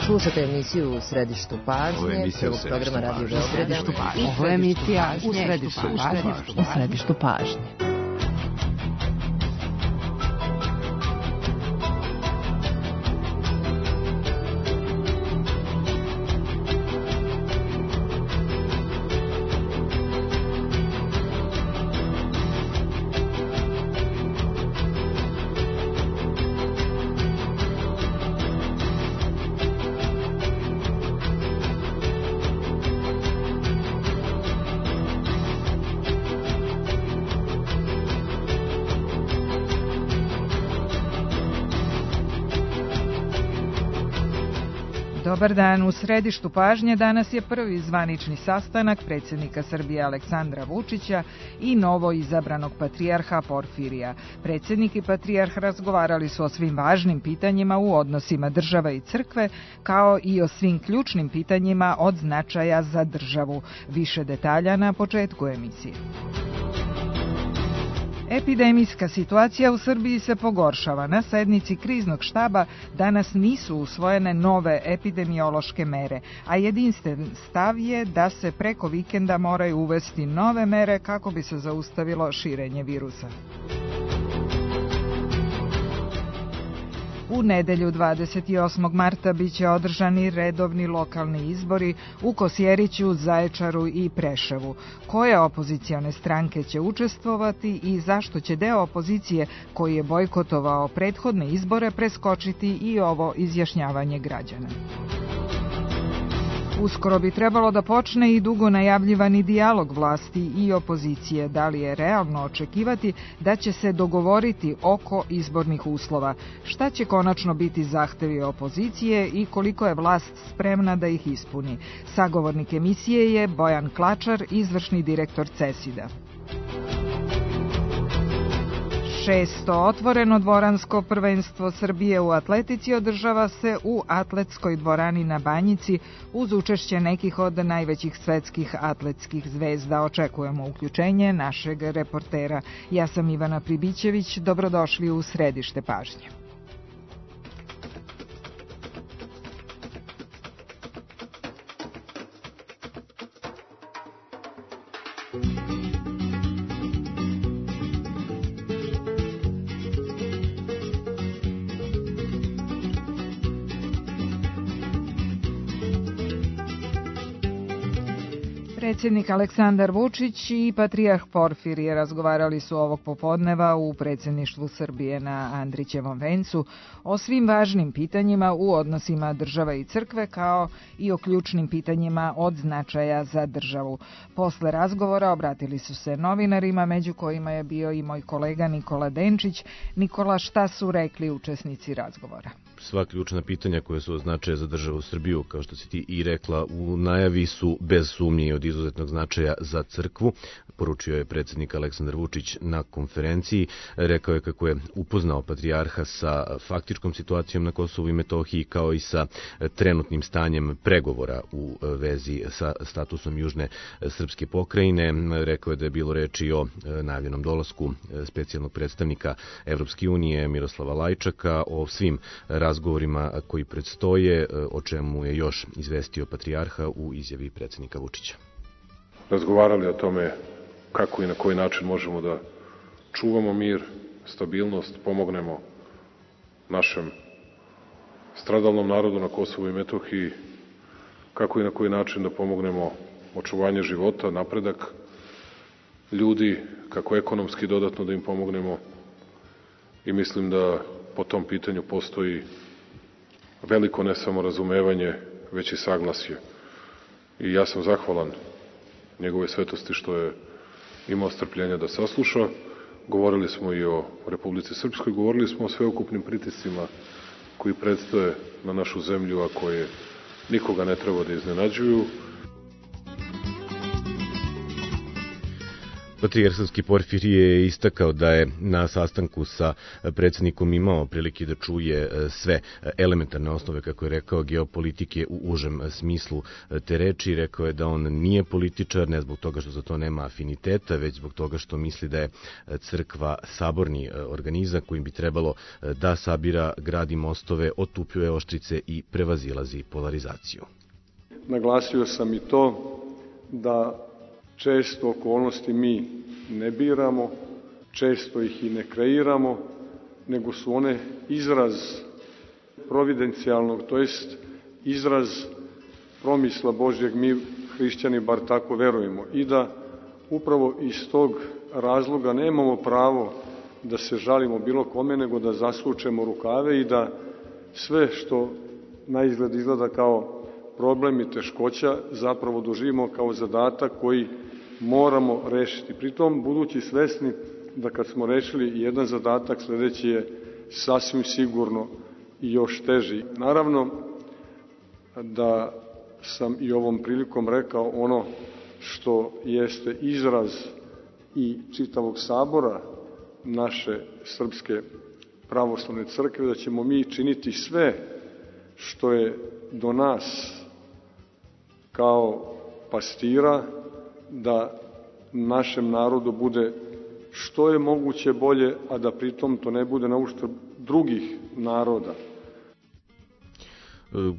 Slušate emisiju U središtu pažnje, prvog programa Radio Beograda. Ovo je emisija U središtu pažnje. Dobar dan, u središtu pažnje danas je prvi zvanični sastanak predsjednika Srbije Aleksandra Vučića i novo izabranog patrijarha Porfirija. Predsjednik i patrijarh razgovarali su o svim važnim pitanjima u odnosima države i crkve, kao i o svim ključnim pitanjima od značaja za državu. Više detalja na početku emisije. Epidemijska situacija u Srbiji se pogoršava. Na sednici kriznog štaba danas nisu usvojene nove epidemiološke mere, a jedinstven stav je da se preko vikenda moraju uvesti nove mere kako bi se zaustavilo širenje virusa. U nedelju 28. marta biće održani redovni lokalni izbori u Kosjeriću, Zaječaru i Preševu. Koje opozicione stranke će učestvovati i zašto će deo opozicije koji je bojkotovao prethodne izbore preskočiti i ovo izjašnjavanje građana? Uskoro bi trebalo da počne i dugo najavljivani dijalog vlasti i opozicije. Da li je realno očekivati da će se dogovoriti oko izbornih uslova? Šta će konačno biti zahtevi opozicije i koliko je vlast spremna da ih ispuni? Sagovornik emisije je Bojan Klačar, izvršni direktor CESID-a. 6. otvoreno dvoransko prvenstvo Srbije u atletici održava se u atletskoj dvorani na Banjici uz učešće nekih od najvećih svetskih atletskih zvezda. Očekujemo uključenje našeg reportera. Ja sam Ivana Pribićević, dobrodošli u središte pažnje. Predsjednik Aleksandar Vučić i patrijarh Porfirije razgovarali su ovog popodneva u predsjedništvu Srbije na Andrićevom vencu o svim važnim pitanjima u odnosima države i crkve, kao i o ključnim pitanjima od značaja za državu. Posle razgovora obratili su se novinarima, među kojima je bio i moj kolega Nikola Denčić. Nikola, šta su rekli učesnici razgovora? Sva ključna pitanja koja su od značaja za državu Srbiju, kao što si ti i rekla u najavi, su bez sumnje i od izuzetnog značaja za crkvu, poručio je predsjednik Aleksandar Vučić na konferenciji. Rekao je kako je upoznao patrijarha sa faktičkom situacijom na Kosovu i Metohiji, kao i sa trenutnim stanjem pregovora u vezi sa statusom južne srpske pokrajine. Rekao je da je bilo reči o najavljenom dolasku specijalnog predstavnika Evropske unije Miroslava Lajčaka, o svim razgovorima koji predstoje, o čemu je još izvestio patrijarha u izjavi predsjednika Vučića. Razgovarali o tome kako i na koji način možemo da čuvamo mir, stabilnost, pomognemo našem stradalnom narodu na Kosovu i Metohiji, kako i na koji način da pomognemo očuvanje života, napredak ljudi, kako ekonomski dodatno da im pomognemo, i mislim da po tom pitanju postoji veliko ne samo razumevanje, već i saglasje. I ja sam zahvalan njegove svetosti što je imao strpljenja da sasluša. Govorili smo i o Republici Srpskoj, govorili smo o sveukupnim pritiscima koji predstoje na našu zemlju, a koje nikoga ne treba da iznenađuju. Patrijarh srpski Porfirije je istakao da je na sastanku sa predsjednikom imao prilike da čuje sve elementarne osnove, kako je rekao, geopolitike u užem smislu te reči. Rekao je da on nije političar, ne zbog toga što za to nema afiniteta, već zbog toga što misli da je crkva saborni organizam kojim bi trebalo da sabira, gradi mostove, otupljuje oštrice i prevazilazi polarizaciju. Naglasio sam i to da često okolnosti mi ne biramo, često ih i ne kreiramo, nego su one izraz providencijalnog, to jest izraz promisla Božjeg, mi hrišćani bar tako verujemo, i da upravo iz tog razloga nemamo pravo da se žalimo bilo kome, nego da zasučemo rukave i da sve što na izgled izgleda kao problem i teškoća zapravo doživimo kao zadatak koji moramo rešiti. Pritom, budući svesni da kad smo rešili jedan zadatak, sledeći je sasvim sigurno i još teži. Naravno da sam i ovom prilikom rekao ono što jeste izraz i čitavog sabora naše Srpske pravoslavne crkve, da ćemo mi činiti sve što je do nas kao pastira, da našem narodu bude što je moguće bolje, a da pritom to ne bude na uštrb drugih naroda.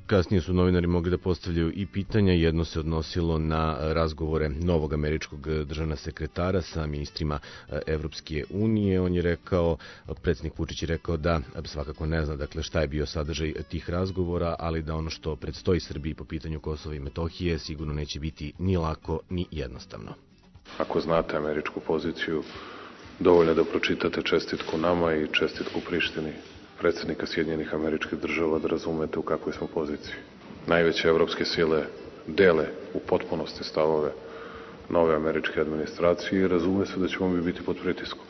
Kasnije su novinari mogli da postavljaju i pitanja. Jedno se odnosilo na razgovore novog američkog državnog sekretara sa ministrima Evropske unije. On je rekao, predsjednik Vučić je rekao da svakako ne zna šta je bio sadržaj tih razgovora, ali da ono što predstoji Srbiji po pitanju Kosova i Metohije sigurno neće biti ni lako ni jednostavno. Ako znate američku poziciju, dovoljno da pročitate čestitku nama i čestitku Prištini predsjednika Sjedinjenih Američkih Država, da razumete u kakvoj smo poziciji. Najveće evropske sile dele u potpunosti stavove nove američke administracije i razume se da ćemo mi biti pod pritiskom.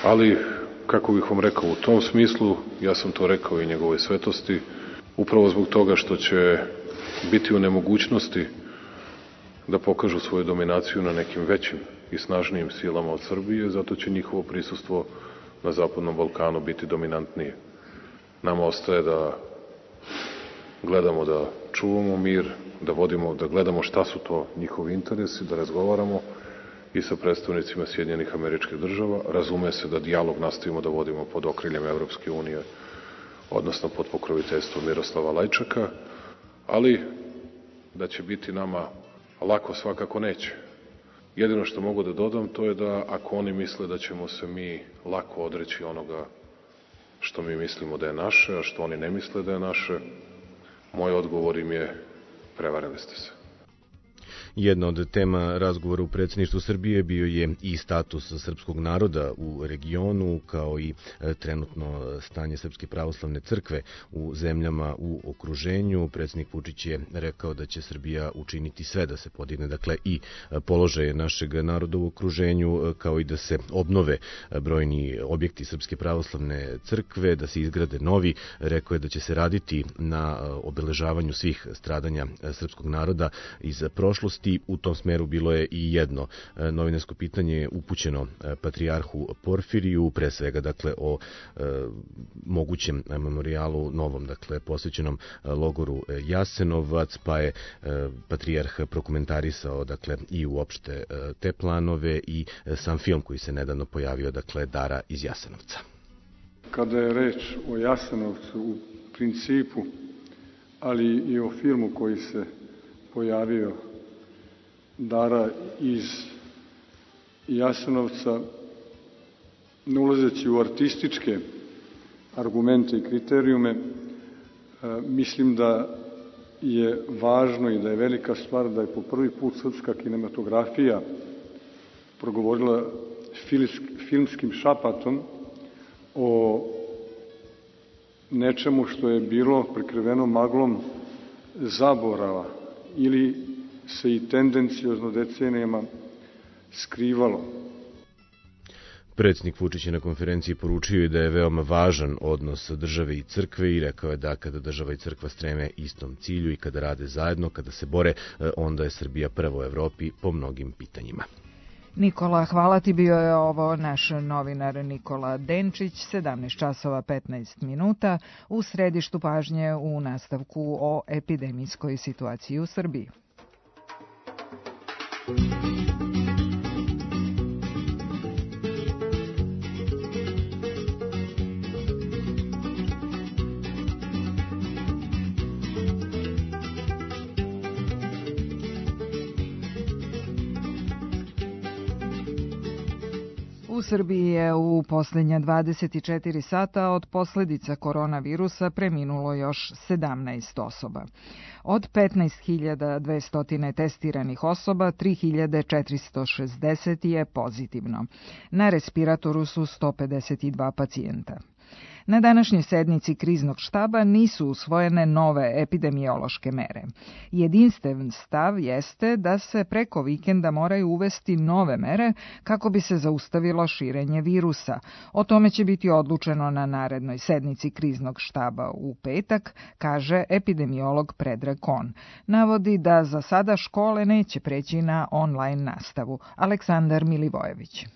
Ali, kako bih vam rekao, u tom smislu, ja sam to rekao i njegovoj svetosti, upravo zbog toga što će biti u nemogućnosti da pokažu svoju dominaciju na nekim većim i snažnijim silama od Srbije, zato će njihovo prisustvo na Zapadnom Balkanu biti dominantnije. Nama ostaje da gledamo da čuvamo mir, da gledamo šta su to njihovi interesi, da razgovaramo i sa predstavnicima Sjedinjenih Američkih Država. Razume se da dijalog nastavimo da vodimo pod okriljem Evropske unije, odnosno pod pokroviteljstvom Miroslava Lajčaka, ali da će biti nama lako svakako neće. Jedino što mogu da dodam, to je da ako oni misle da ćemo se mi lako odreći onoga što mi mislimo da je naše, a što oni ne misle da je naše, moj odgovor im je: prevarili ste se. Jedna od tema razgovora u predsjedništvu Srbije bio je i status srpskog naroda u regionu, kao i trenutno stanje Srpske pravoslavne crkve u zemljama u okruženju. Predsjednik Vučić je rekao da će Srbija učiniti sve da se podigne i položaje našeg naroda u okruženju, kao i da se obnove brojni objekti Srpske pravoslavne crkve, da se izgrade novi. Rekao je da će se raditi na obeležavanju svih stradanja srpskog naroda iz prošlosti. U tom smeru bilo je i jedno novinarsko pitanje upućeno Patrijarhu Porfiriju, pre svega o mogućem memorijalu novom, posvećenom logoru Jasenovac, pa je Patrijarh prokomentarisao i uopšte te planove i sam film koji se nedavno pojavio, Dara iz Jasenovca. Kada je reč o Jasenovcu u principu, ali i o filmu koji se pojavio, Dara iz Jasenovca, ne ulazeći u artističke argumente i kriterijume, mislim da je važno i da je velika stvar da je po prvi put srpska kinematografija progovorila filmskim šapatom o nečemu što je bilo prekriveno maglom zaborava ili se i tendencijozno decenijama skrivalo. Predsjednik Vučić je na konferenciji poručio i da je veoma važan odnos države i crkve i rekao je da kada država i crkva streme istom cilju i kada rade zajedno, kada se bore, onda je Srbija prva u Evropi po mnogim pitanjima. Nikola, hvala ti, bio je ovo naš novinar Nikola Denčić, 17 časova 15 minuta, u središtu pažnje u nastavku o epidemijskoj situaciji u Srbiji. U Srbiji je u posljednja 24 sata od posljedica koronavirusa preminulo još 17 osoba. Od 15.200 testiranih osoba, 3.460 je pozitivno. Na respiratoru su 152 pacijenta. Na današnjoj sednici kriznog štaba nisu usvojene nove epidemiološke mere. Jedinstven stav jeste da se preko vikenda moraju uvesti nove mere kako bi se zaustavilo širenje virusa. O tome će biti odlučeno na narednoj sednici kriznog štaba u petak, kaže epidemiolog Predrag Kon. Navodi da za sada škole neće preći na online nastavu. Aleksandar Milivojević.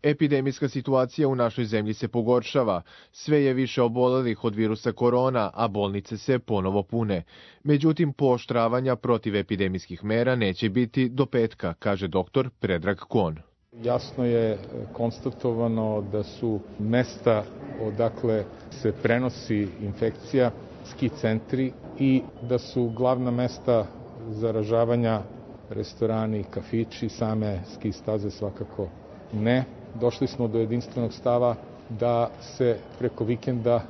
Epidemijska situacija u našoj zemlji se pogoršava. Sve je više obolelih od virusa korona, a bolnice se ponovo pune. Međutim, pooštravanja protiv epidemijskih mera neće biti do petka, kaže doktor Predrag Kon. Jasno je konstatovano da su mesta odakle se prenosi infekcija ski centri i da su glavna mesta zaražavanja restorani, kafići, same ski staze svakako ne. Došli smo do jedinstvenog stava da se preko vikenda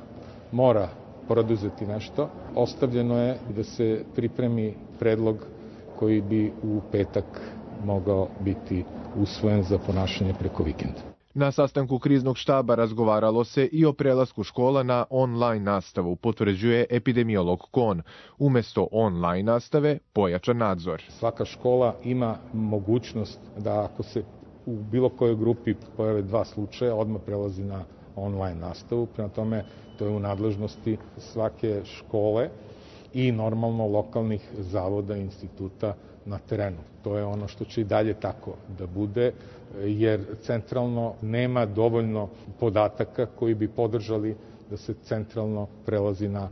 mora preduzeti nešto. Ostavljeno je da se pripremi predlog koji bi u petak mogao biti usvojen za ponašanje preko vikenda. Na sastanku kriznog štaba razgovaralo se i o prelasku škola na online nastavu, potvrđuje epidemiolog Kon. Umesto online nastave, pojačan nadzor. Svaka škola ima mogućnost da ako se u bilo kojoj grupi pojave 2 slučaja, odmah prelazi na online nastavu. Prema tome, to je u nadležnosti svake škole i normalno lokalnih zavoda i instituta na terenu. To je ono što će i dalje tako da bude, jer centralno nema dovoljno podataka koji bi podržali da se centralno prelazi na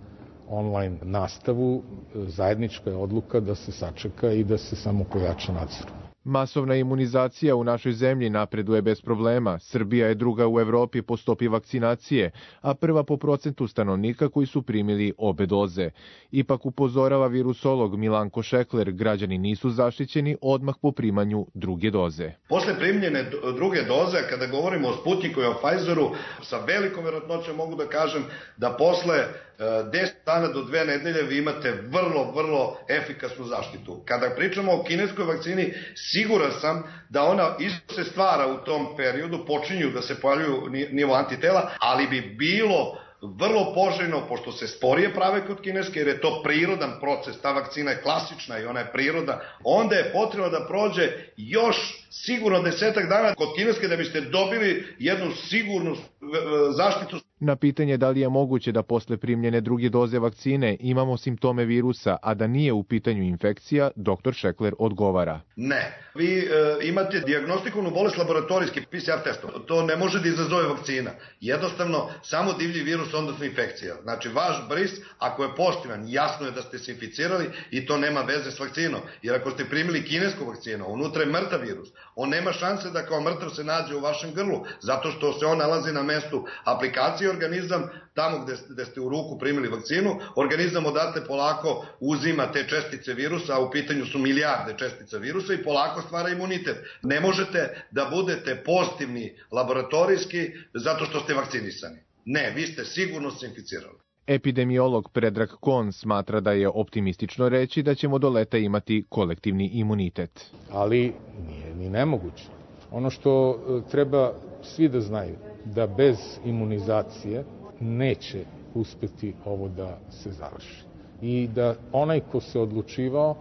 online nastavu. Zajednička je odluka da se sačeka i da se samo pojača nadzor. Masovna imunizacija u našoj zemlji napreduje bez problema. Srbija je druga u Evropi po stopi vakcinacije, a prva po procentu stanovnika koji su primili obe doze. Ipak upozorava virusolog Milanko Šekler, građani nisu zaštićeni odmah po primanju druge doze. Posle primljene druge doze, kada govorimo o Sputniku i o Pfizeru, sa velikom vjerojatnoćom mogu da kažem da posle 10 dana do 2 nedelje vi imate vrlo efikasnu zaštitu. Kada pričamo o kineskoj vakcini, siguran sam da ona isto se stvara u tom periodu, počinju da se pojavljuju nivo antitela, ali bi bilo vrlo poželjno, pošto se sporije prave kod kineske, jer je to prirodan proces, ta vakcina je klasična i ona je priroda, onda je potrebno da prođe još sigurno 10 dana kod kineske da biste dobili jednu sigurnu zaštitu. Na pitanje da li je moguće da posle primljene druge doze vakcine imamo simptome virusa, a da nije u pitanju infekcija, dr. Šekler odgovara. Ne. Vi imate dijagnostikovnu bolest laboratorijski PCR testom. To ne može da izazove vakcina. Jednostavno, samo divlji virus, odnosno infekcija. Znači, vaš bris, ako je pozitivan, jasno je da ste se inficirali i to nema veze s vakcinom. Jer ako ste primili kinesku vakcinu, unutra je mrtav virus. On nema šanse da kao mrtav se nađe u vašem grlu, zato što se on nalazi na mestu aplikacije organizam, tamo gde ste u ruku primili vakcinu, organizam odatle polako uzima te čestice virusa, a u pitanju su milijarde čestica virusa i polako stvara imunitet. Ne možete da budete pozitivni laboratorijski zato što ste vakcinisani. Ne, vi ste sigurno se inficirali. Epidemiolog Predrag Kon smatra da je optimistično reći da ćemo do leta imati kolektivni imunitet. Ali nije ni nemoguće. Ono što treba svi da znaju, da bez imunizacije neće uspeti ovo da se završi. I da onaj ko se odlučivao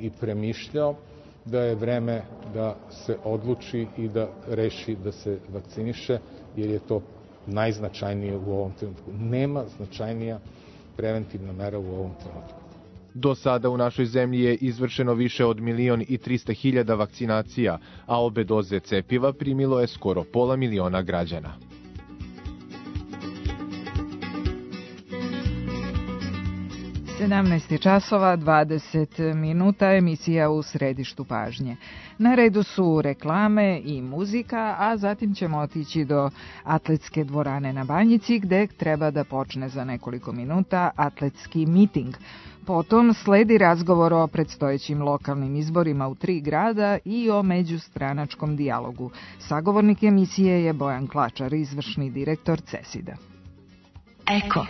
i premišljao da je vreme da se odluči i da reši da se vakciniše, jer je to najznačajnije u ovom trenutku. Nema značajnija preventivna mera u ovom trenutku. Do sada u našoj zemlji je izvršeno više od 1.300.000 vakcinacija, a obe doze cepiva primilo je skoro 500.000 građana. časova 20 minuta, emisija u središtu pažnje. Na redu su reklame i muzika, a zatim ćemo otići do atletske dvorane na Banjici, gde treba da počne za nekoliko minuta atletski miting. Potom sledi razgovor o predstojećim lokalnim izborima u 3 grada i o međustranačkom dijalogu. Sagovornik emisije je Bojan Klačar, izvršni direktor CESID-a. Eko.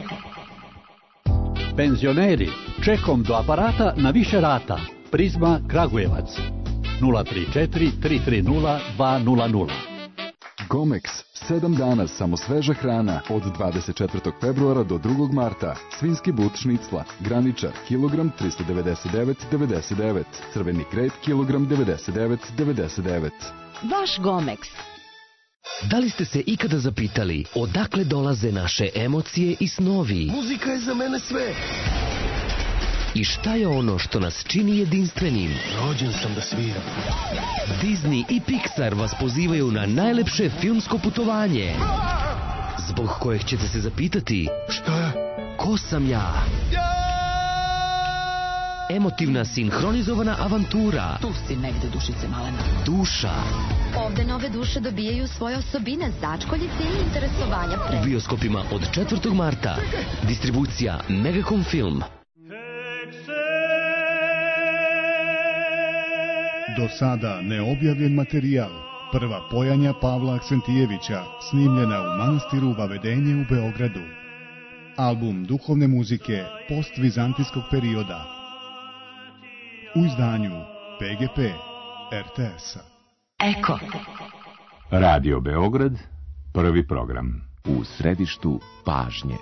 Penzioneri, čekom do aparata na više rata. Prizma Kragujevac. 034 330 200. Gomex, 7 dana samo sveža hrana od 24. februara do 2. marta. Svinski but šnicla, graničar, kilogram 399,99. Crveni kret, kilogram 99,99. Vaš Gomex. Da li ste se ikada zapitali odakle dolaze naše emocije i snovi? Muzika je za mene sve. I šta je ono što nas čini jedinstvenim? Rođen sam da sviram. Disney i Pixar vas pozivaju na najlepše filmsko putovanje, zbog kojeg ćete se zapitati: šta je? Ko sam ja? Emotivna sinhronizovana avantura. Tu si negde, dušice malena. Duša. Ovde nove duše dobijaju svoje osobine, začkoljice i interesovanja pre. U bioskopima od 4. marta. Distribucija Megacom Film. Do sada neobjavljen materijal. Prva pojanja Pavla Aksentijevića, snimljena u manastiru Vavedenje u Beogradu. Album duhovne muzike postvizantijskog perioda. U izdanju PGP RTS-a. Eko. Radio Beograd, prvi program. U središtu pažnje.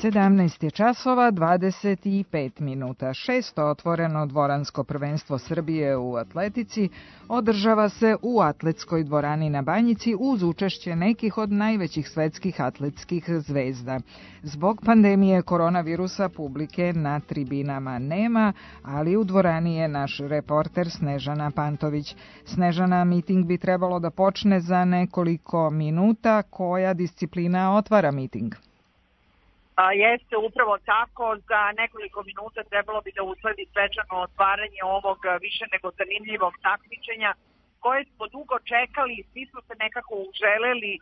17 je časova 25 minuta. 6. otvoreno dvoransko prvenstvo Srbije u atletici održava se u atletskoj dvorani na Banjici uz učešće nekih od najvećih svetskih atletskih zvezda. Zbog pandemije koronavirusa publike na tribinama nema, ali u dvorani je naš reporter Snežana Pantović. Snežana, miting bi trebalo da počne za nekoliko minuta. Koja disciplina otvara miting? Jeste upravo tako, za nekoliko minuta trebalo bi da usledi svečano otvaranje ovog više nego zanimljivog takmičenja koje smo dugo čekali, svi smo se nekako uželeli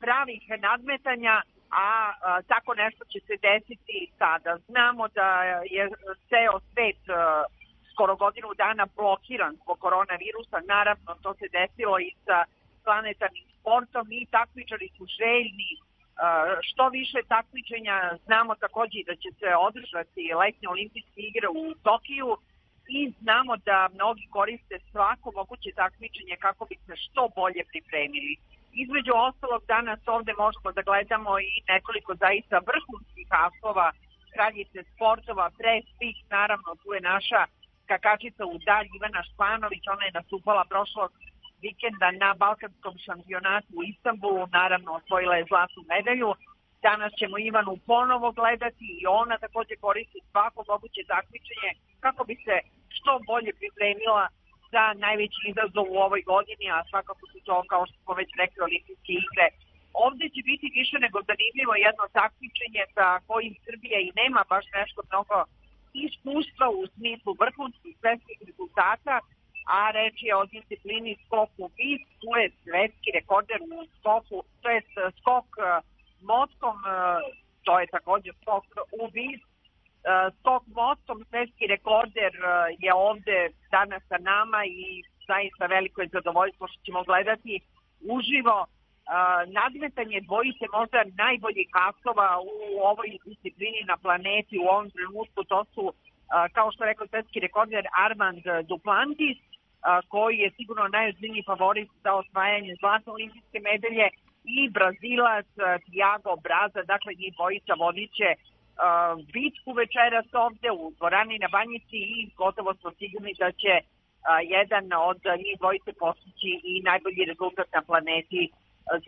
pravih nadmetanja, a tako nešto će se desiti sada. Znamo da je ceo svet skoro godinu dana blokiran zbog koronavirusa, naravno to se desilo i sa planetarnim sportom i takmičari su željni što više takmičenja. Znamo takođe da će se održati letnje olimpijske igre u Tokiju i znamo da mnogi koriste svako moguće takmičenje kako bi se što bolje pripremili. Između ostalog, danas ovde možemo da gledamo i nekoliko zaista vrhunskih asova, kraljice sportova, pre svih naravno tu je naša skakačica u dalj Ivana Španović, ona je nastupala prošlog vikenda na balkanskom šampionatu u Istanbulu, naravno osvojila je zlatnu medalju. Danas ćemo Ivanu ponovo gledati i ona takođe koristi svako moguće takmičenje kako bi se što bolje pripremila za najveći izazov u ovoj godini, a svakako su to, kao što smo već rekli, olimpijske igre. Ovde će biti više nego zanimljivo jedno takmičenje sa kojim Srbija i nema baš nešto mnogo iskustva u smislu vrhunskih svetskih rezultata, a reč je o disciplini skoku vis. Tu je svetski rekorder u skoku, to je skok motkom, to je takođe skok u vis. Skok motkom, svetski rekorder je ovde danas sa nama i zaista veliko je zadovoljstvo što ćemo gledati uživo nadmetanje dvojice možda najboljih asova u ovoj disciplini na planeti u ovom trenutku. To su, kao što rekao svetski rekorder Armand Duplantis, koji je sigurno najozbiljniji favorit za osvajanje zlatne olimpijske medalje, i Brazilac Thiago Braza. Dakle, njih dvojica vodiće bitku večeras ovde u dvorani na Banjici i gotovo smo sigurni da će jedan od njih dvojice postići i najbolji rezultat na planeti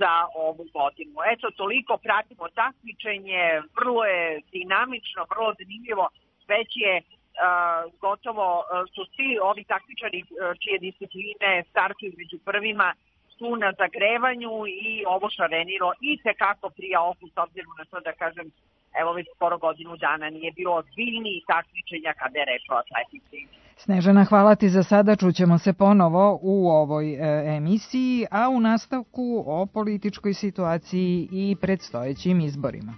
za ovu godinu. Eto, toliko pratimo takmičenje, vrlo je dinamično, vrlo zanimljivo, već je gotovo su svi ovi takmičari čije discipline startuju među prvima su na zagrevanju i ovo šarenilo i tekako prija oku, s obzirom na to da kažem, evo već skoro godinu dana nije bilo ozbiljnijih takmičenja kada je reč o atletici. Snežana, hvala ti za sada, čućemo se ponovo u ovoj emisiji, a u nastavku o političkoj situaciji i predstojećim izborima.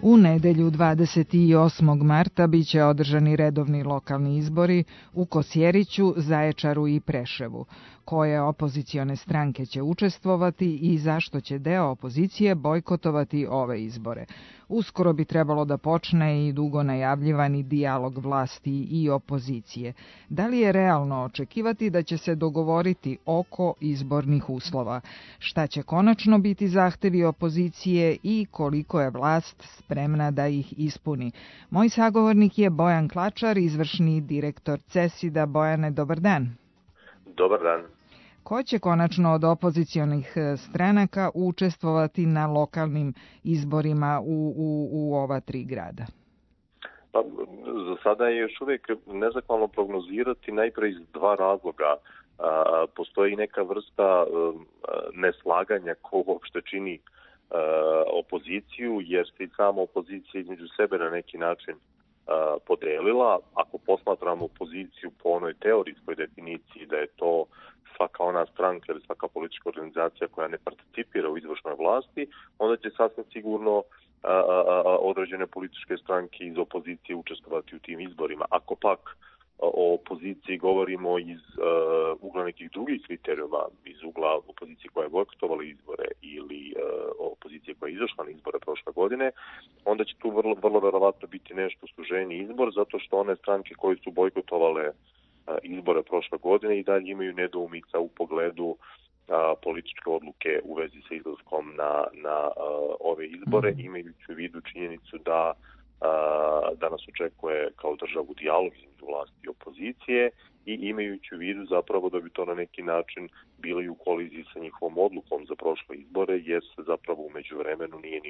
U nedelju 28. marta biće održani redovni lokalni izbori u Kosjeriću, Zaječaru i Preševu. Koje opozicione stranke će učestvovati i zašto će deo opozicije bojkotovati ove izbore? Uskoro bi trebalo da počne i dugo najavljivani dijalog vlasti i opozicije. Da li je realno očekivati da će se dogovoriti oko izbornih uslova? Šta će konačno biti zahtevi opozicije i koliko je vlast spremna da ih ispuni? Moj sagovornik je Bojan Klačar, izvršni direktor CESID-a. Bojane, dobar dan. Dobar dan. Ko će konačno od opozicionih stranaka učestvovati na lokalnim izborima u ova tri grada? Pa, za sada je još uvijek nezahvalno prognozirati, najpre iz dva razloga. Postoji neka vrsta neslaganja ko uopšte čini opoziciju, jer se i sama opozicija između sebe na neki način podelila. Ako posmatramo opoziciju po onoj teorijskoj definiciji da je to svaka ona stranka ili svaka politička organizacija koja ne participira u izvršnoj vlasti, onda će sasvim sigurno određene političke stranke iz opozicije učestvovati u tim izborima. Ako pak o opoziciji govorimo iz ugla nekih drugih kriterijuma, iz ugla opozicije koja je bojkotovala izbore ili opozicije koja je izašla na izbore prošle godine, onda će tu vrlo verovatno biti nešto suženiji izbor, zato što one stranke koje su bojkotovale izbore prošle godine i dalje imaju nedoumica u pogledu političke odluke u vezi sa izlaskom na ove izbore, imajući u vidu činjenicu da nas očekuje kao državu dijalog između vlasti i opozicije i imajući u vidu zapravo da bi to na neki način bilo i u koliziji sa njihovom odlukom za prošle izbore, jer se zapravo u međuvremenu nije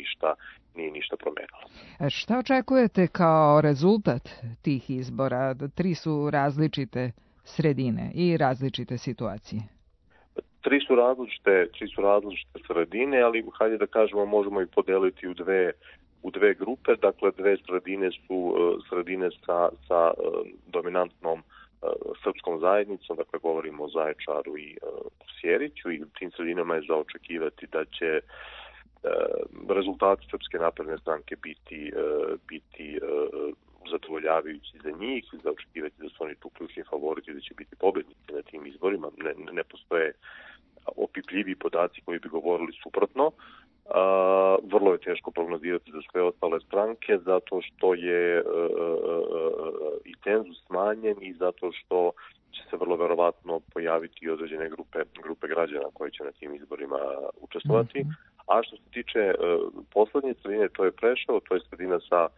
ništa promenilo. Šta očekujete kao rezultat tih izbora? 3 su različite sredine i različite situacije. Tri su različite sredine, ali hajde da kažemo možemo ih podeliti u dve grupe. Dakle, dve sredine su sredine sa dominantnom srpskom zajednicom, dakle govorimo o Zaječaru i Kosjeriću, i u tim sredinama je za očekivati da će rezultati Srpske napredne stranke biti zadovoljavajući za njih, za očekivati da su oni tu ključni favoriti, da će biti pobednici na tim izborima. Ne postoje opipljiviji podaci koji bi govorili suprotno. Vrlo je teško prognozirati za sve ostale stranke zato što je i cenzus smanjen i zato što će se vrlo verovatno pojaviti i određene grupe građana koji će na tim izborima učestvovati. A što se tiče poslednje sredine, to je Preševo, to je sredina sa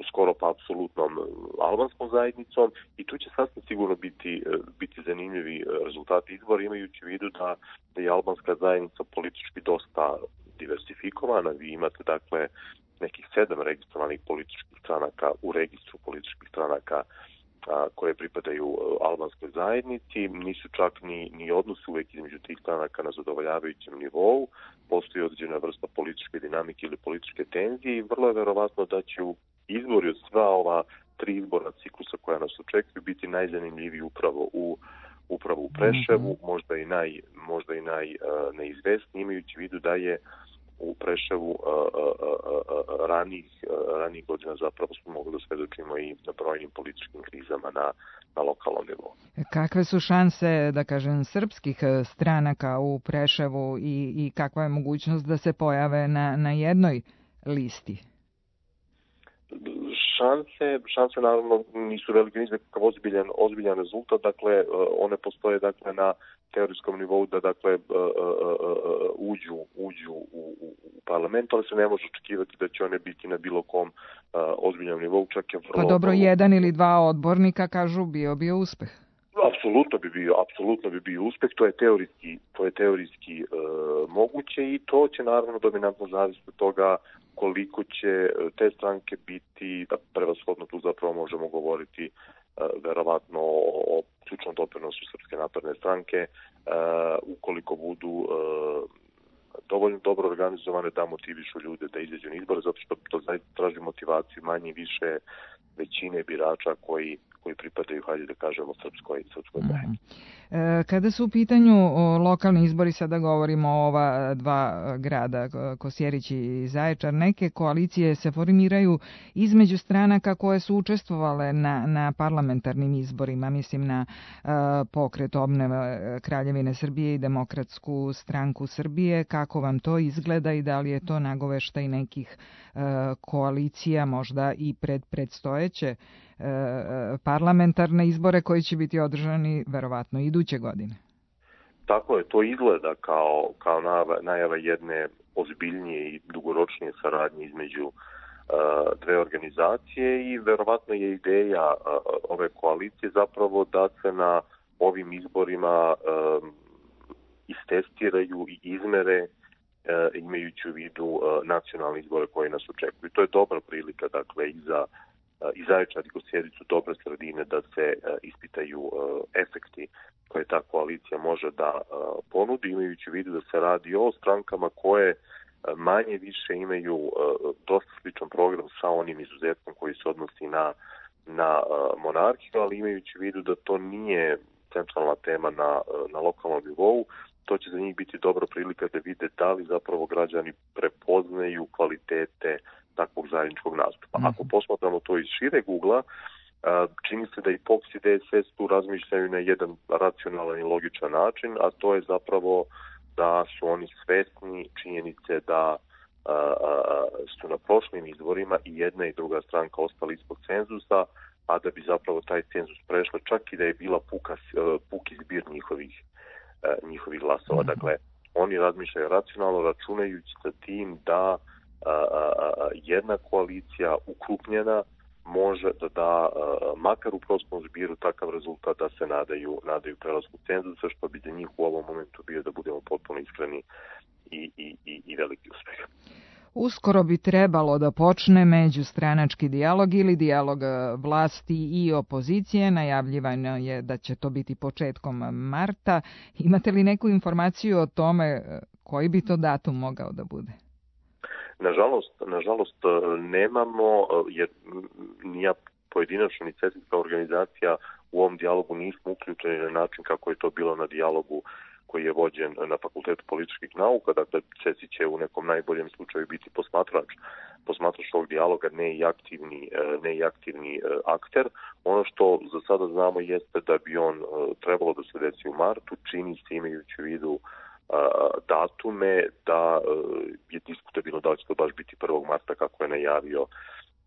skoro pa apsolutnom albanskom zajednicom i tu će sasvim sigurno biti zanimljivi rezultati izbora, imajući u vidu da je albanska zajednica politički dosta diversifikovana. Vi imate dakle nekih 7 registrovanih političkih stranaka u registru političkih stranaka koje pripadaju albanskoj zajednici. Nisu čak ni odnosi uvek između tih stranaka na zadovoljavajućem nivou. Postoji određena vrsta političke dinamike ili političke tenzije i vrlo je verovatno da će izbori od sva ova 3 izborna ciklusa koja nas očekuju biti najzanimljiviji upravo u Preševu, možda i najneizvesniji, imajući u vidu da je u Preševu ranih godina zapravo smo mogli da svedočimo i na brojnim političkim krizama na lokalnom nivou. Kakve su šanse, da kažem, srpskih stranaka u Preševu i kakva je mogućnost da se pojave na jednoj listi? Šanse naravno nisu velike, nisu nekakav ozbiljan rezultat, dakle one postoje dakle na teorijskom nivou da dakle uđu u parlament, ali se ne može očekivati da će one biti na bilo kom ozbiljnom nivou, čak je vrlo... Pa dobro, 1 ili 2 odbornika kažu bio uspeh. Apsolutno bi bio uspeh, to je teorijski moguće i to će naravno dominantno zavisiti od toga koliko će te stranke biti, da prevashodno tu zapravo možemo govoriti verovatno o ključnom doprinosu Srpske napredne stranke, ukoliko budu dovoljno dobro organizovane da motivišu ljude da izađu na izbore, zato što to traži motivaciju manje više većine birača koji pripadaju, hajde da kažemo, srpskoj zajednici. Kada su u pitanju lokalni izbori, sada govorimo o ova 2 grada, Kosjerić i Zaječar, neke koalicije se formiraju između stranaka koje su učestvovale na parlamentarnim izborima, mislim na Pokret obnove Kraljevine Srbije i Demokratsku stranku Srbije. Kako vam to izgleda i da li je to nagoveštaj nekih koalicija, možda i predstojeće parlamentarne izbore koji će biti održani verovatno iduće godine? Tako je, to izgleda kao najava jedne ozbiljnije i dugoročnije saradnje između dve organizacije i verovatno je ideja ove koalicije zapravo da se na ovim izborima istestiraju i izmere imajući u vidu nacionalne izbore koje nas očekuju. To je dobra prilika, dakle, i Zaječar i Kosjerić su dobre sredine da se ispitaju efekti koje ta koalicija može da ponudi, imajući u vidu da se radi o strankama koje manje više imaju dosta sličan program sa onim izuzetkom koji se odnosi na monarhiju, ali imajući u vidu da to nije centralna tema na lokalnom nivou, to će za njih biti dobra prilika da vide da li zapravo građani prepoznaju kvalitete takvog zajedničkog nastupa. Ako posmatramo to iz šireg ugla, čini se da i POKS i DSS tu razmišljaju na jedan racionalan i logičan način, a to je zapravo da su oni svesni činjenice da su na prošlim izborima i jedna i druga stranka ostali ispod cenzusa, a da bi zapravo taj cenzus prešla čak i da je bila puki zbir njihovih glasova. Dakle, oni razmišljaju racionalno, računajući sa tim da jedna koalicija ukrupnjena može da da, makar u prostom zbiru, takav rezultat da se nadaju prelasku cenzusa, što bi za njih u ovom momentu bio, da budemo potpuno iskreni, i veliki uspeh. Uskoro bi trebalo da počne međustranački dijalog ili dijalog vlasti i opozicije. Najavljivano je da će to biti početkom marta. Imate li neku informaciju o tome koji bi to datum mogao da bude? Nažalost nemamo, jer ni ja pojedinačno ni cetinska organizacija u ovom dijalogu nismo uključeni na način kako je to bilo na dijalogu koji je vođen na Fakultetu političkih nauka. Dakle, CESI će u nekom najboljem slučaju biti posmatrač ovog dijaloga, ne i aktivni akter. Ono što za sada znamo jeste da bi on trebalo da se desi u martu, čini se, imajući u vidu datume, da je diskutabilno da će to baš biti 1. marta kako je najavio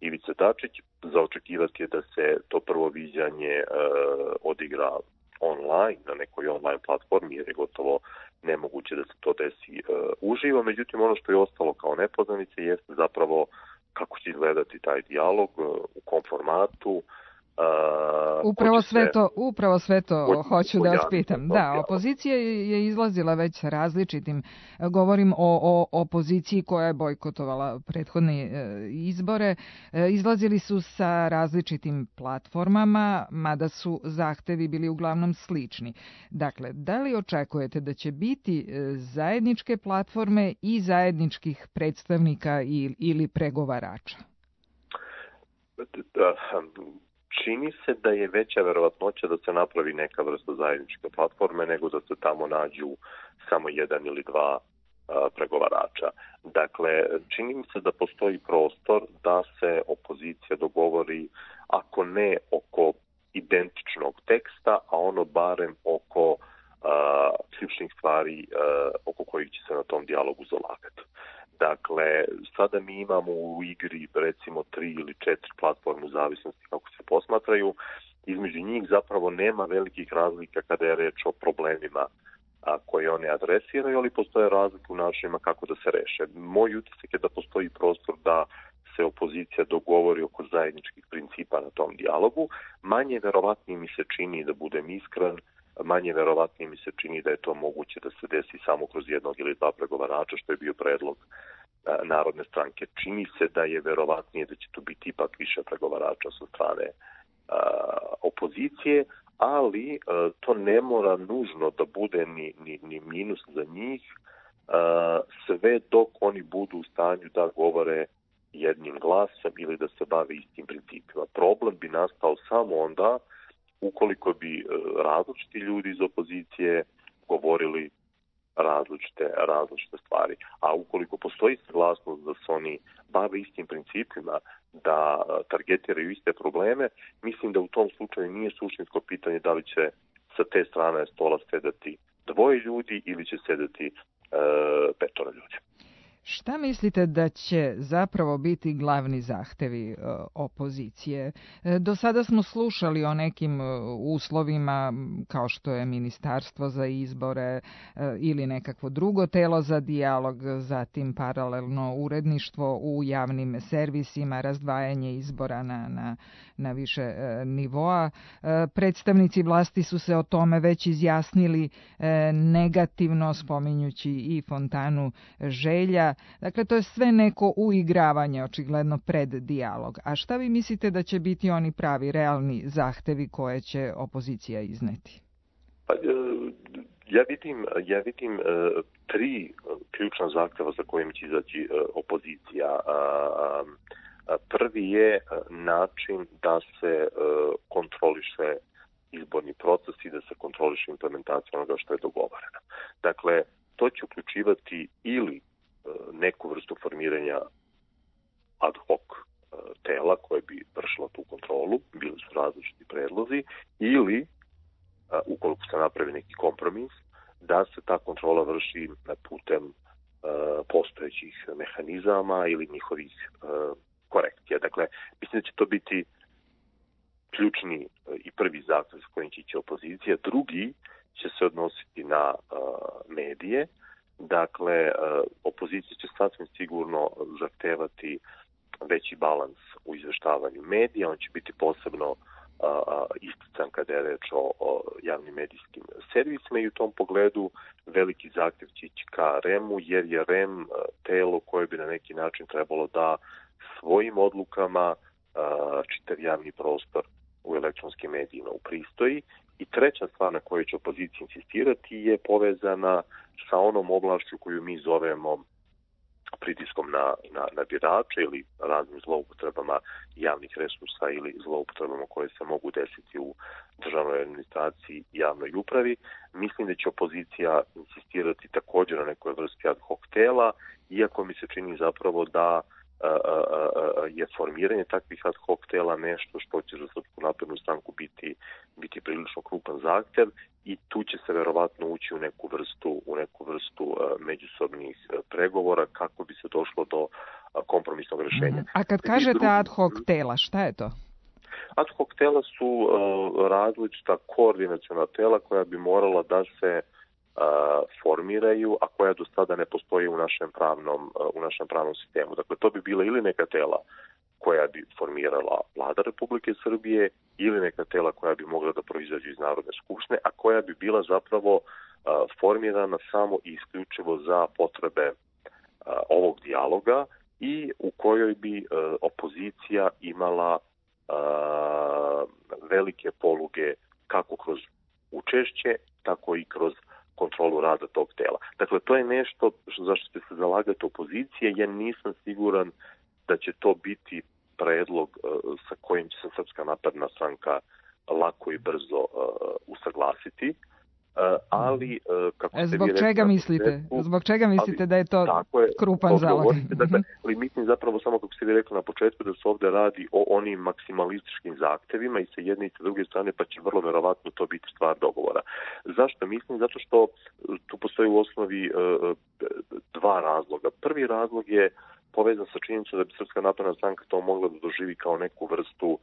Ivica Dačić. Za očekivati je da se to prvo viđanje odigra online, na nekoj online platformi, jer je gotovo nemoguće da se to desi uživo. Međutim, ono što je ostalo kao nepoznanica jeste zapravo kako će izgledati taj dijalog, u kom formatu. Upravo sve to hoću da vas pitam. Da, opozicija je izlazila već sa različitim, govorim o opoziciji koja je bojkotovala prethodne izbore, izlazili su sa različitim platformama, mada su zahtevi bili uglavnom slični. Dakle, da li očekujete da će biti zajedničke platforme i zajedničkih predstavnika ili pregovarača? Čini se da je veća verovatnoća da se napravi neka vrsta zajedničke platforme nego da se tamo nađu samo jedan ili dva pregovarača. Dakle, čini mi se da postoji prostor da se opozicija dogovori, ako ne oko identičnog teksta, a ono barem oko ključnih stvari oko kojih će se na tom dijalogu zalagati. Dakle, sada mi imamo u igri recimo 3 ili 4 platforme u zavisnosti kako se posmatraju. Između njih zapravo nema velikih razlika kada je reč o problemima koje one adresiraju, ali postoje razlike u načinima kako da se reše. Moj utisak je da postoji prostor da se opozicija dogovori oko zajedničkih principa na tom dijalogu. Manje verovatnije mi se čini, da budem iskren, manje verovatnije mi se čini da je to moguće da se desi samo kroz jednog ili dva pregovarača, što je bio predlog Narodne stranke. Čini se da je verovatnije da će tu biti ipak više pregovarača sa strane opozicije, ali to ne mora nužno da bude ni minus za njih, sve dok oni budu u stanju da govore jednim glasom ili da se bave istim principima. Problem bi nastao samo onda ukoliko bi različiti ljudi iz opozicije govorili različite stvari. A ukoliko postoji saglasnost da se oni bave istim principima, da targetiraju iste probleme, mislim da u tom slučaju nije suštinsko pitanje da li će sa te strane stola sedati 2 ljudi ili će sedati 5 ljudi. Šta mislite da će zapravo biti glavni zahtevi opozicije? Do sada smo slušali o nekim uslovima kao što je ministarstvo za izbore ili nekakvo drugo telo za dijalog, zatim paralelno uredništvo u javnim servisima, razdvajanje izbora na više nivoa. Predstavnici vlasti su se o tome već izjasnili negativno, spominjući i fontanu želja. Dakle, to je sve neko uigravanje, očigledno, pred dijalog. A šta vi mislite da će biti oni pravi, realni zahtevi koje će opozicija izneti? Ja vidim 3 ključna zahteva za kojim će izaći opozicija. Prvi je način da se kontroliše izborni proces i da se kontroliše implementacija onoga što je dogovoreno. Dakle, to će uključivati ili neku vrstu formiranja ad hoc tela koje bi vršilo tu kontrolu, bili su različiti predlozi, ili, ukoliko se napravi neki kompromis, da se ta kontrola vrši putem postojećih mehanizama ili njihovih korekcija. Dakle, mislim da će to biti ključni i prvi zahtev s kojim će ići opozicija. Drugi će se odnositi na medije. Dakle, opozicija će sasvim sigurno zahtevati veći balans u izveštavanju medija. On će biti posebno istican kada je reč o javnim medijskim servisima i u tom pogledu veliki zahtjev će ići ka REM-u, jer je REM telo koje bi na neki način trebalo da svojim odlukama čitav javni prostor u elektronskim medijima upristoji. I treća stvar na kojoj će opozicija insistirati je povezana sa onom oblašću koju mi zovemo pritiskom na birače ili raznim zloupotrebama javnih resursa ili zloupotrebama koje se mogu desiti u državnoj administraciji i javnoj upravi. Mislim da će opozicija insistirati također na nekoj vrsti ad hoc tela, iako mi se čini zapravo da je formiranje takvih ad hoc tela nešto što će za Srpsku naprednu stranku biti prilično krupan zahtev i tu će se verovatno ući u neku vrstu međusobnih pregovora kako bi se došlo do kompromisnog rješenja. A kad kažete ad hoc tela, šta je to? Ad hoc tela su različita koordinaciona tela koja bi morala da se formiraju, a koja do sada ne postoji u našem pravnom sistemu. Dakle, to bi bila ili neka tela koja bi formirala Vlada Republike Srbije ili neka tela koja bi mogla da proizađu iz Narodne skupštine, a koja bi bila zapravo formirana samo i isključivo za potrebe ovog dijaloga i u kojoj bi opozicija imala velike poluge kako kroz učešće, tako i kroz kontrolu rada tog tela. Dakle, to je nešto zašto će se zalagati opozicije. Ja nisam siguran da će to biti predlog sa kojim će se Srpska napredna stranka lako i brzo usaglasiti. Ali kako ste zbog čega mislite? Zbog čega mislite da je to krupan zalog? Dakle, mislim zapravo samo kako ste vi rekli na početku da se ovdje radi o onim maksimalističkim zahtevima i sa jedne i sa druge strane, pa će vrlo verovatno to biti stvar dogovora. Zašto mislim? Zato što tu postoji u osnovi dva razloga. Prvi razlog je povezan sa činjenicom da bi Srpska napredna stranka to mogla da doživi kao neku vrstu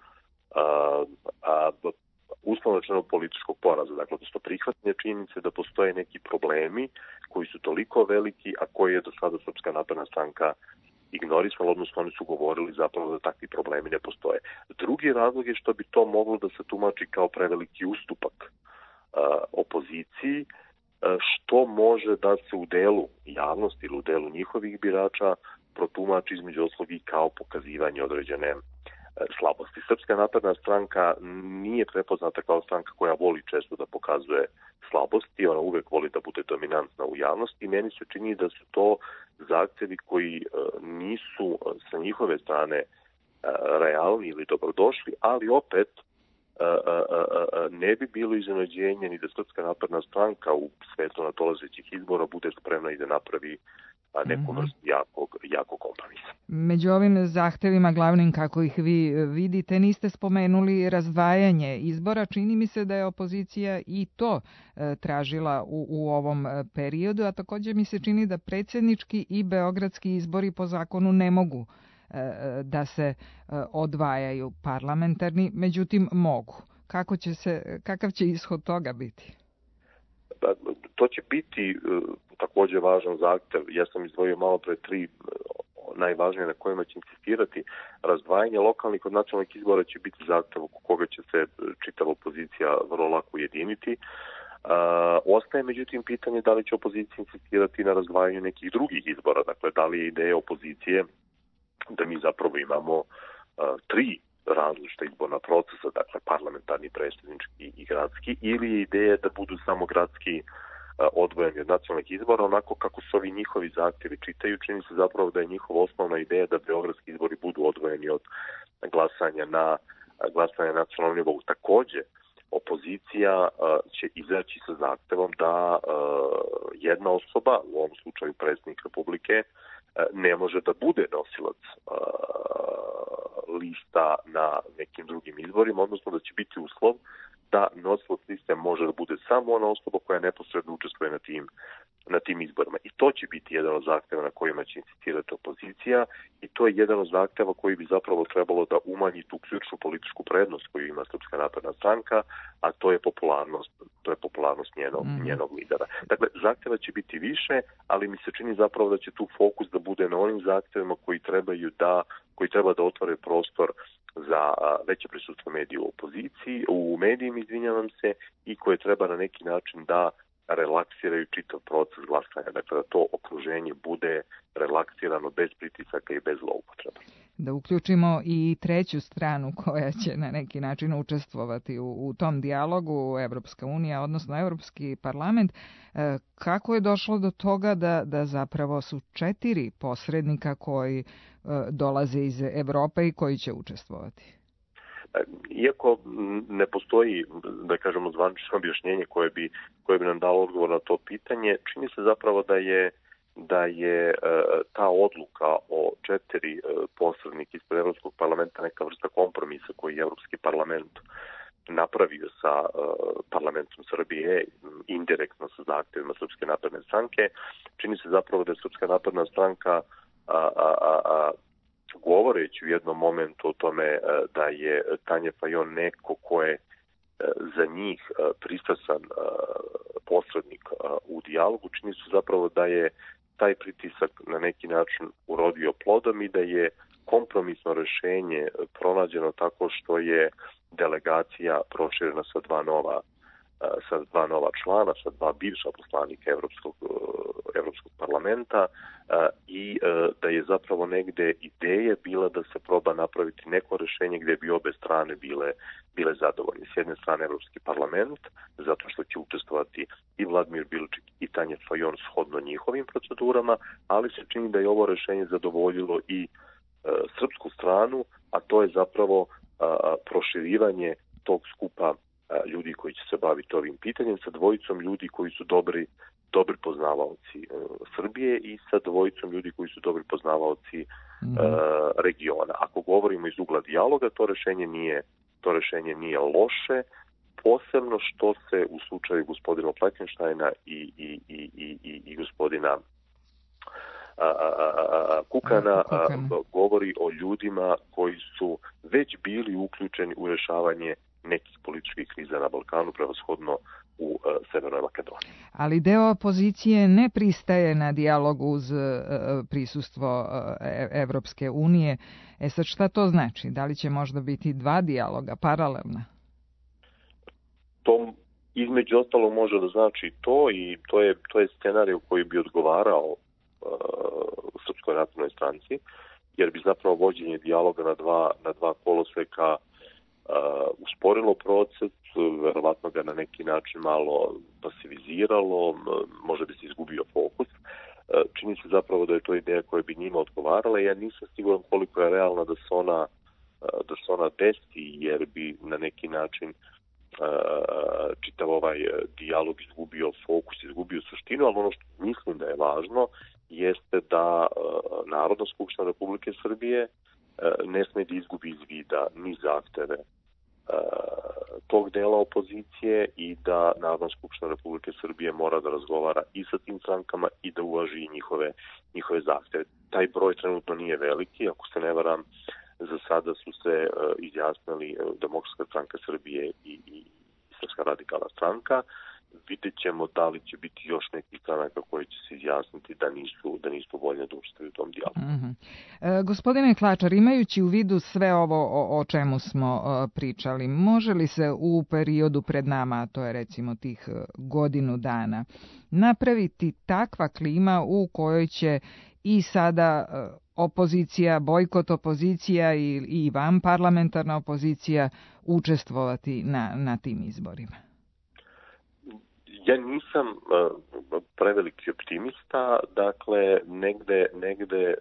uslovno rečeno političkog poraza. Dakle, to prihvatanje činjenice da postoje neki problemi koji su toliko veliki, a koji je do sada Srpska napredna stranka ignorisala, odnosno oni su govorili zapravo da takvi problemi ne postoje. Drugi razlog je što bi to moglo da se tumači kao preveliki ustupak opoziciji, što može da se u delu javnosti ili u delu njihovih birača protumači između ostalog i kao pokazivanje određene slabosti. Srpska napredna stranka nije prepoznata kao stranka koja voli često da pokazuje slabosti, ona uvek voli da bude dominantna u javnosti i meni se čini da su to zahtevi koji nisu sa njihove strane realni ili dobrodošli, ali opet ne bi bilo iznenađenje ni da Srpska napredna stranka u svetlu nadolazećih izbora bude spremna i da napravi neku vrstu jakog kompromisa. Među ovim zahtevima glavnim, kako ih vi vidite, niste spomenuli razdvajanje izbora. Čini mi se da je opozicija i to tražila u ovom periodu, a također mi se čini da predsjednički i beogradski izbori po zakonu ne mogu da se odvajaju, parlamentarni, međutim mogu. Kakav će ishod toga biti? To će biti također važan zahtev. Ja sam izdvojio malo pre 3 najvažnije na kojima će insistirati. Razdvajanje lokalnih od nacionalnih izbora će biti zahtev oko koga će se čitava opozicija vrlo lako ujediniti. Ostaje međutim pitanje da li će opozicija insistirati na razdvajanju nekih drugih izbora. Dakle, da li je ideja opozicije da mi zapravo imamo 3 različita izborna procesa, dakle parlamentarni, predsjednički i gradski, ili je ideja da budu samo gradski odvojeni od nacionalnih izbora, onako kako su ovi njihovi zahtjevi čitaju, čini se zapravo da je njihova osnovna ideja da beogradski izbori budu odvojeni od glasanja na nacionalnom nivou. Također, opozicija će izaći sa zahtevom da jedna osoba, u ovom slučaju predsjednik Republike, ne može da bude nosilac lista na nekim drugim izborima, odnosno da će biti uslov da nosilac liste može da bude samo ona osoba koja neposredno učestvuje na tim izborima. I to će biti jedan od zahteva na kojima će insistirati opozicija i to je jedan od zahteva koji bi zapravo trebalo da umanji tu ključnu političku prednost koju ima Srpska napredna stranka, a to je popularnost njenog lidera. Dakle, zahteva će biti više, ali mi se čini zapravo da će tu fokus da bude na onim zahtevima koji treba da otvore prostor za veće prisustvo medija u medijima, i koje treba na neki način da relaksiraju čitav proces glasanja. Dakle, da to okruženje bude relaksirano bez pritisaka i bez zloupotreba. Da uključimo i treću stranu koja će na neki način učestvovati u tom dijalogu, Evropska unija, odnosno Evropski parlament. Kako je došlo do toga da zapravo su 4 posrednika koji dolaze iz Evrope i koji će učestvovati? Iako ne postoji, da kažemo, zvanično objašnjenje koje bi nam dalo odgovor na to pitanje, čini se zapravo da je ta odluka o 4 posrednika ispred Evropskog parlamenta neka vrsta kompromisa koji je Evropski parlament napravio sa parlamentom Srbije, indirektno sa zahtjevima Srpske napredne stranke. Čini se zapravo da je Srpska napredna stranka govoreći u jednom momentu o tome da je Tanja Fajon neko ko je za njih pristrasan posrednik u dijalogu, čini se zapravo da je taj pritisak na neki način urodio plodom i da je kompromisno rešenje pronađeno tako što je delegacija proširena sa dva nova člana, sa 2 bivša poslanika Evropskog parlamenta i da je zapravo negde ideja bila da se proba napraviti neko rešenje gde bi obe strane bile zadovoljne. S jedne strane Evropski parlament, zato što će učestvovati i Vladimir Bilčik i Tanja Fajon shodno njihovim procedurama, ali se čini da je ovo rešenje zadovoljilo i srpsku stranu, a to je zapravo proširivanje tog skupa ljudi koji će se baviti ovim pitanjem sa dvojicom ljudi koji su dobri poznavaoci Srbije i sa dvojicom ljudi koji su dobri poznavaoci regiona. Ako govorimo iz ugla dijaloga, to rešenje nije loše, posebno što se u slučaju gospodina Fleckensteina i gospodina Kukana govori o ljudima koji su već bili uključeni u rešavanje nekih političkih kriza na Balkanu, prevashodno u Severnoj Makedoniji. Ali deo opozicije ne pristaje na dijalog uz prisustvo Evropske unije. Sad šta to znači? Da li će možda biti 2 dijaloga paralelna? To između ostalo može da znači to i to je scenarij koji bi odgovarao Srpskoj naprednoj stranci, jer bi zapravo vođenje dijaloga na dva koloseka usporilo proces, verovatno ga na neki način malo pasiviziralo, možda bi se izgubio fokus. Čini se zapravo da je to ideja koja bi njima odgovarala. Ja nisam siguran koliko je realna da se ona desi, jer bi na neki način čitav ovaj dijalog izgubio fokus, izgubio suštinu, ali ono što mislim da je važno jeste da Narodna skupština Republike Srbije ne sme da izgubi iz vida ni zahteve tog dela opozicije i da Narodna skupština Republike Srbije mora da razgovara i sa tim strankama i da uvaži njihove zahteve. Taj broj trenutno nije veliki, ako se ne varam, za sada su se izjasnili Demokratska stranka Srbije i Srpska radikalna stranka. Vidjet ćemo da li će biti još nekih stranaka koji će se izjasniti da nisu voljne da učestvuju u tom dijalogu. Gospodine Klačar, imajući u vidu sve ovo o čemu smo pričali, može li se u periodu pred nama, a to je recimo tih godinu dana, napraviti takva klima u kojoj će i sada opozicija, bojkot opozicija i vanparlamentarna opozicija učestvovati na tim izborima? Ja nisam preveliki optimista, dakle negde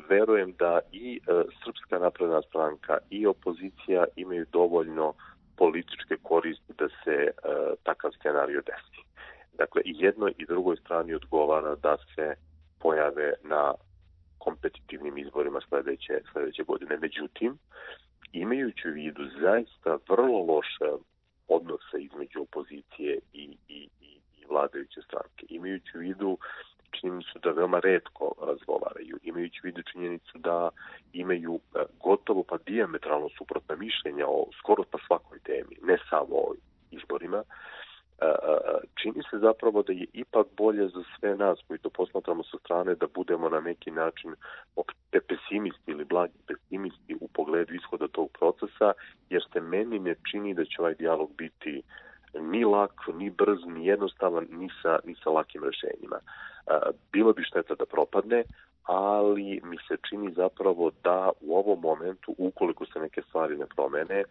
verujem da i Srpska napredna stranka i opozicija imaju dovoljno političke koristi da se takav scenario desi. Dakle, i jednoj i drugoj strani odgovara da se pojave na kompetitivnim izborima sledeće godine. Međutim, imajući u vidu zaista vrlo loše odnose između opozicije i vladajuće stranke. Imajući u vidu činjenicu da veoma retko razgovaraju, imajući u vidu činjenicu da imaju gotovo pa dijametralno suprotna mišljenja o skoro pa svakoj temi, ne samo o izborima, čini se zapravo da je ipak bolje za sve nas koji to posmatramo sa strane da budemo na neki način pesimisti ili blagi pesimisti u pogledu ishoda tog procesa, jer se meni ne čini da će ovaj dijalog biti ni lak, ni brz, ni jednostavan, ni sa lakim rešenjima. Bilo bi šteta da propadne, ali mi se čini zapravo da u ovom momentu, ukoliko se neke stvari ne promene,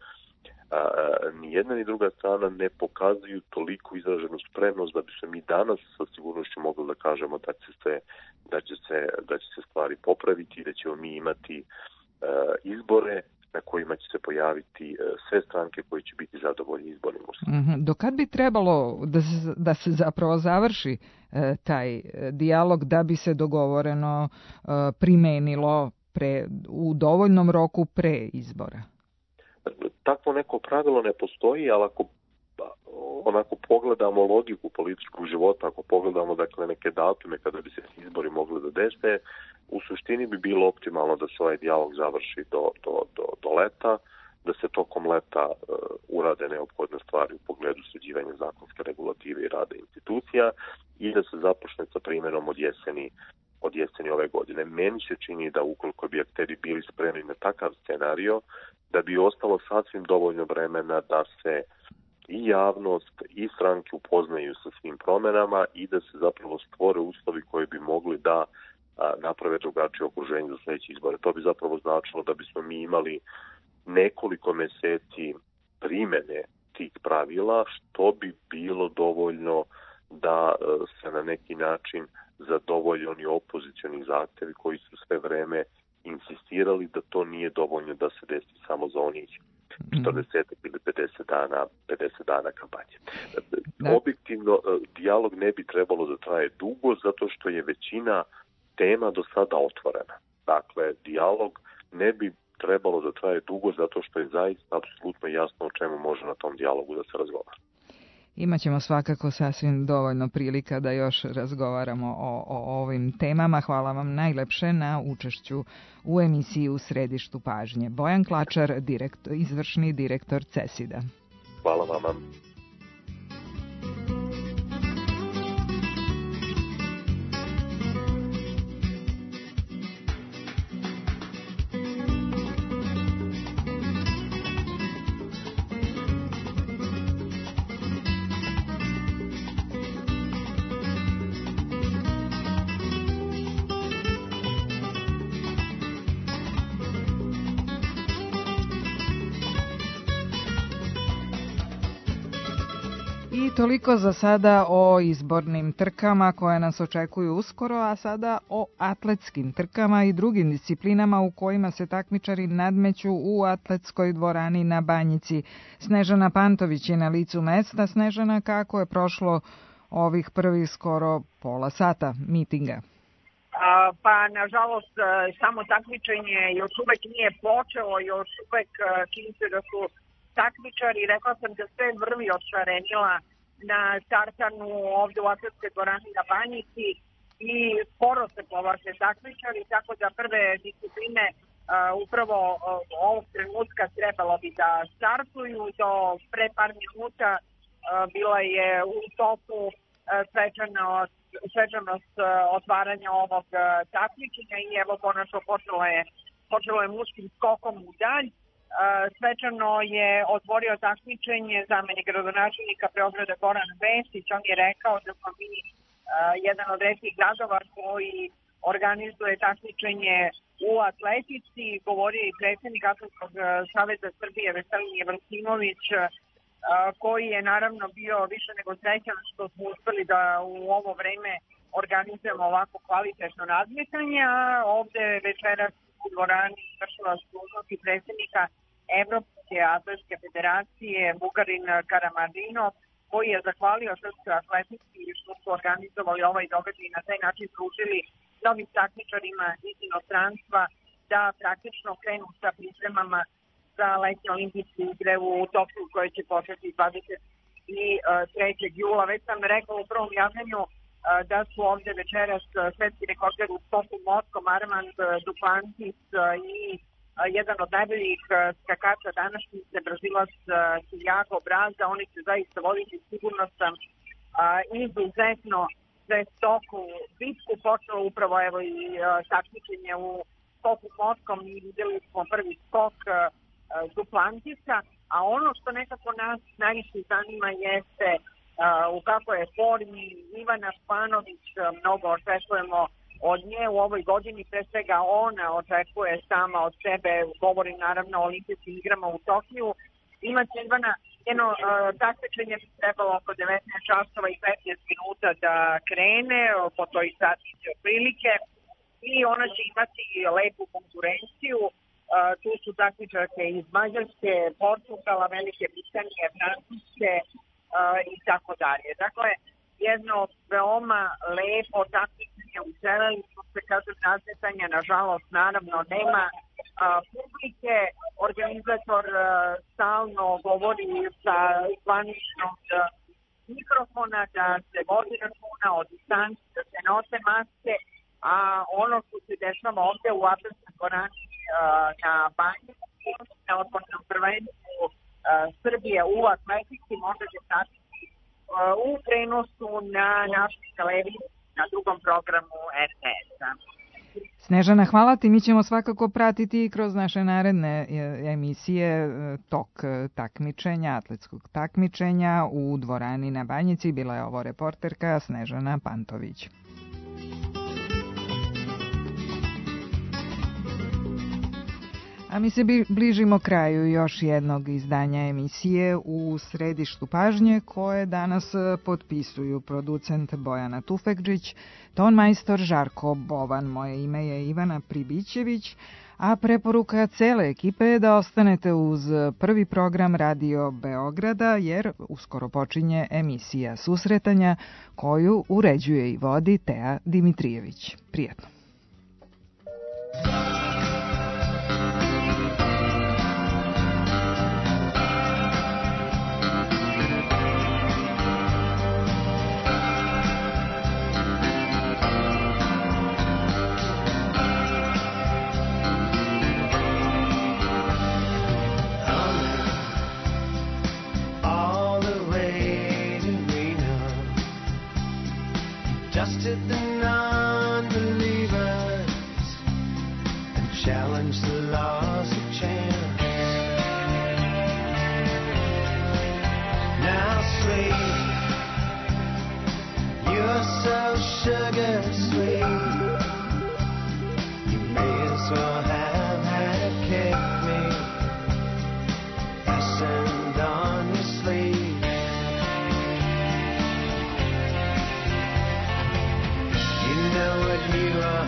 ni jedna ni druga strana ne pokazuju toliko izraženu spremnost da bi se mi danas sa sigurnošću mogli da kažemo da će se stvari popraviti i da ćemo mi imati izbore na kojima će se pojaviti sve stranke koji će biti zadovoljni izbornim uslovima. Do kad bi trebalo da se zapravo završi taj dijalog da bi se dogovoreno primenilo u dovoljnom roku pre izbora? Takvo neko pravilo ne postoji, ali ako onako pogledamo logiku političkog života, ako pogledamo dakle neke datume kada bi se izbori mogli da dese, u suštini bi bilo optimalno da se ovaj dijalog završi do leta, da se tokom leta urade neophodne stvari u pogledu sređivanja zakonske regulative i rada institucija i da se započne sa primjenom od jeseni ove godine. Meni se čini da ukoliko bi akteri bili spremni na takav scenario, da bi ostalo sasvim dovoljno vremena da se i javnost i stranke upoznaju sa svim promenama i da se zapravo stvore uslovi koji bi mogli da naprave drugačije okruženje za sljedeće izbore. To bi zapravo značilo da bismo mi imali nekoliko meseci primene tih pravila, što bi bilo dovoljno da se na neki način zadovolje oni opozicioni zahtevi koji su sve vreme insistirali da to nije dovoljno da se desi samo za onih 40 ili 50 dana kampanje. Objektivno, dijalog ne bi trebalo da traje dugo zato što je većina tema do sada otvorena. Dakle, dijalog ne bi trebalo da traje dugo zato što je zaista apsolutno jasno o čemu može na tom dijalogu da se razgovara. Imaćemo svakako sasvim dovoljno prilika da još razgovaramo o ovim temama. Hvala vam najlepše na učešću u emisiji U središtu pažnje. Bojan Klačar, izvršni direktor CESID-a. Hvala vama. Toliko za sada o izbornim trkama koje nas očekuju uskoro, a sada o atletskim trkama i drugim disciplinama u kojima se takmičari nadmeću u atletskoj dvorani na Banjici. Snežana Pantović je na licu mesta. Snežana, kako je prošlo ovih prvih skoro pola sata mitinga? Pa, nažalost, samo takmičenje još uvek nije počelo, još uvek čini se da su takmičari, rekla sam da sve vrvi odšarenila na startanu ovde u atletskoj dvorani na Banjici i sporo se povlače takmičari, tako da prve discipline upravo ovog trenutka trebalo bi da startuju. Do pre par minuta bila je u toku svečanost otvaranja ovog takmičenja i evo konačno počelo je muškim skokom u dalj. Svečano je otvorio takmičenje zamenik gradonačelnika Beograda Goran Vesić. On je rekao da smo mi jedan od retkih gradova koji organizuje takmičenje u atletici. Govorio je i predsjednik Atletskog saveza Srbije Veselin Jevrosimović, koji je naravno bio više nego srećan što smo uspeli da u ovo vreme organizujemo ovako kvalitetno nadmetanje, a ovde večeras u dvorani vršila dužnosti predsjednika Evropske atletske federacije Bugarin Karamadinov, koji je zahvalio Srpskoj atletici što su organizovali ovaj događaj i na taj način pružili novim takmičarima iz inostranstva da praktično krenu sa pripremama za letnje olimpijske igre u Tokiju koje će početi i 3. jula. Već sam rekla u prvom javljanju da su ovde večeras svetski rekorder u skoku motkom Armand Duplantis i jedan od najboljih skakača današnjice, Brazilac Tiago Braza. Oni će zaista voditi, sigurno sam, izuzetno žestoku bitku. Počelo upravo evo i takmičenje u skoku motkom i videli smo prvi skok Duplantisa, a ono što nekako nas najviše zanima jeste u kakvoj je formi Ivana Španović. Mnogo očekujemo od nje u ovoj godini, pre svega ona očekuje sama od sebe, govori naravno o olimpijskim igrama u Tokiju. Imaće Ivana jedno takmičenje bi trebalo oko 19 časova i 15 minuta da krene, po toj satici otprilike, i ona će imati lepu konkurenciju. Tu su takmičarke iz Mađarske, Portugala, Velike Britanije, Francuske i tako dalje. Dakle, jedno veoma lepo takmičenje. Uželeli smo se, kažem, nadmetanja, nažalost, naravno, nema publike. Organizator stalno govori sa zvaničnog mikrofona da se vodi računa o distanci, da se nose maske, a ono što se dešava ovde u Atletskoj dvorani na Banjici, na otvornom prvenstvu Srbije u atletici, možete pratiti u prenosu na našoj televiziji na drugom programu RTS-a. Snežana, hvala ti. Mi ćemo svakako pratiti kroz naše naredne emisije tok takmičenja, atletskog takmičenja u dvorani na Banjici. Bila je ovo reporterka Snežana Pantović. A mi se bližimo kraju još jednog izdanja emisije U središtu pažnje, koje danas potpisuju producent Bojana Tufekđić, tonmajstor Žarko Bovan. Moje ime je Ivana Pribićević, a preporuka cele ekipe je da ostanete uz prvi program Radio Beograda, jer uskoro počinje emisija Susretanja, koju uređuje i vodi Teja Dimitrijević. Prijetno. Dusted the non-believers and challenged the laws of chance. Now sweet, you're so sugar sweet, you may as well have had kept me fastened on your sleeve. Know what you are,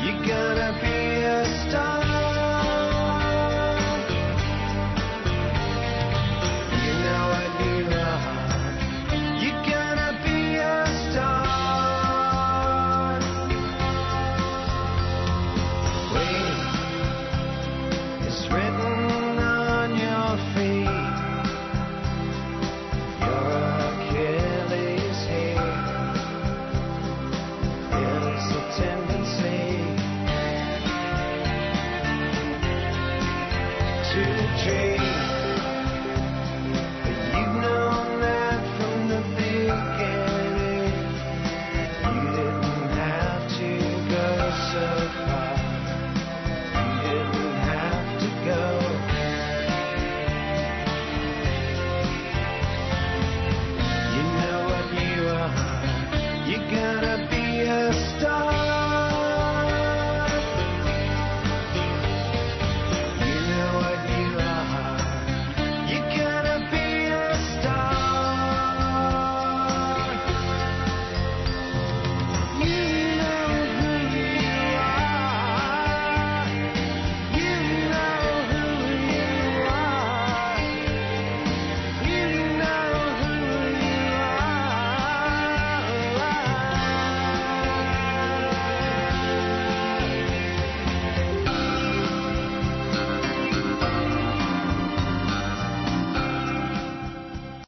you're gonna be a star. You know what you are, you're gonna be a star. Wait, it's written on your feet, your Achilles heel. There's a tendency to dream.